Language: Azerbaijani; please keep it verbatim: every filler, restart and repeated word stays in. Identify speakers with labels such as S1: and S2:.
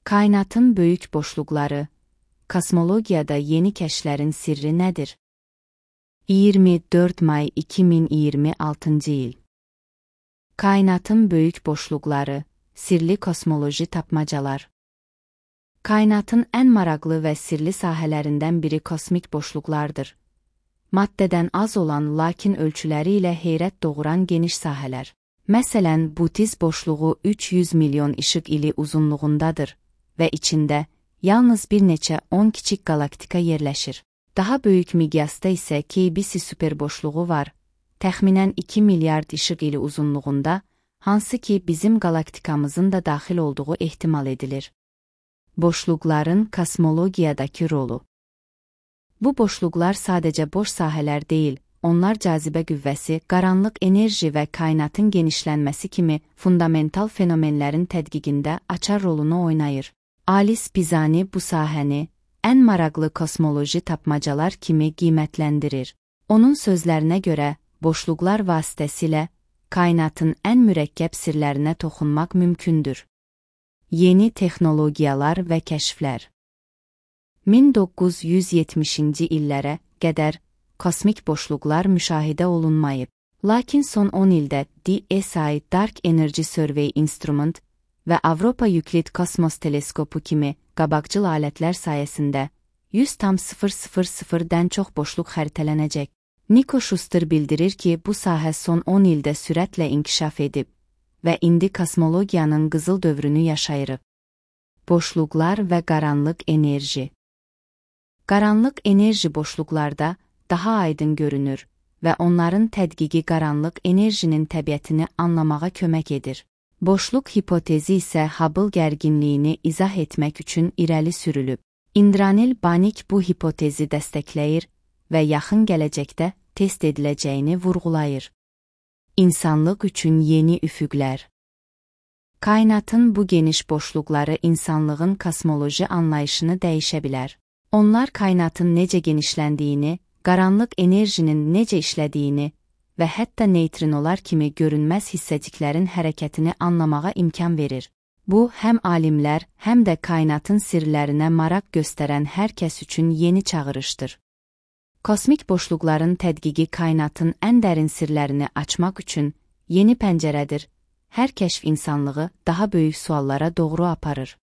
S1: Kainatın böyük boşluqları, kosmologiyada yeni kəşflərin sirri nədir? iyirmi dörd may iki min iyirmi altıncı il. Kainatın böyük boşluqları, sirli kosmoloji tapmacalar. Kainatın ən maraqlı və sirli sahələrindən biri kosmik boşluqlardır. Maddədən az olan, lakin ölçüləri ilə heyrət doğuran geniş sahələr. Məsələn, Butiz boşluğu üç yüz milyon işıq ili uzunluğundadır və içində yalnız bir neçə on kiçik galaktika yerləşir. Daha böyük miqyasda isə K B C superboşluğu var, təxminən iki milyard işıq ili uzunluğunda, hansı ki bizim galaktikamızın da daxil olduğu ehtimal edilir. Boşluqların kosmologiyadakı rolu. Bu boşluqlar sadəcə boş sahələr deyil, onlar cazibə qüvvəsi, qaranlıq enerji və kainatın genişlənməsi kimi fundamental fenomenlərin tədqiqində açar rolunu oynayır. Alice Pisani bu sahəni ən maraqlı kosmoloji tapmacalar kimi qiymətləndirir. Onun sözlərinə görə, boşluqlar vasitəsilə kainatın ən mürəkkəb sirlərinə toxunmaq mümkündür. Yeni texnologiyalar və kəşflər. min doqquz yüz yetmişinci illərə qədər kosmik boşluqlar müşahidə olunmayıb. Lakin son on ildə D S I Dark Energy Survey Instrument və Avropa Yuklid Kosmos Teleskopu kimi qabaqcıl alətlər sayəsində yüz tam sıfır sıfır sıfırdan çox boşluq xəritələnəcək. Nico Schuster bildirir ki, bu sahə son on ildə sürətlə inkişaf edib və indi kosmologiyanın qızıl dövrünü yaşayırıq. Boşluqlar və qaranlıq enerji. Qaranlıq enerji boşluqlarda daha aydın görünür və onların tədqiqi qaranlıq enerjinin təbiətini anlamağa kömək edir. Boşluq hipotezi isə Hubble gərginliyini izah etmək üçün irəli sürülüb. Indranil Banik bu hipotezi dəstəkləyir və yaxın gələcəkdə test ediləcəyini vurğulayır. İnsanlıq üçün yeni üfüqlər. Kainatın bu geniş boşluqları insanlığın kosmoloji anlayışını dəyişə bilər. Onlar kainatın necə genişləndiyini, qaranlıq enerjinin necə işlədiyini və hətta neytrinolar kimi görünməz hissəciklərin hərəkətini anlamağa imkan verir. Bu, həm alimlər, həm də kainatın sirlərinə maraq göstərən hər kəs üçün yeni çağırışdır. Kosmik boşluqların tədqiqi kainatın ən dərin sirlərini açmaq üçün yeni pəncərədir. Hər kəşf insanlığı daha böyük suallara doğru aparır.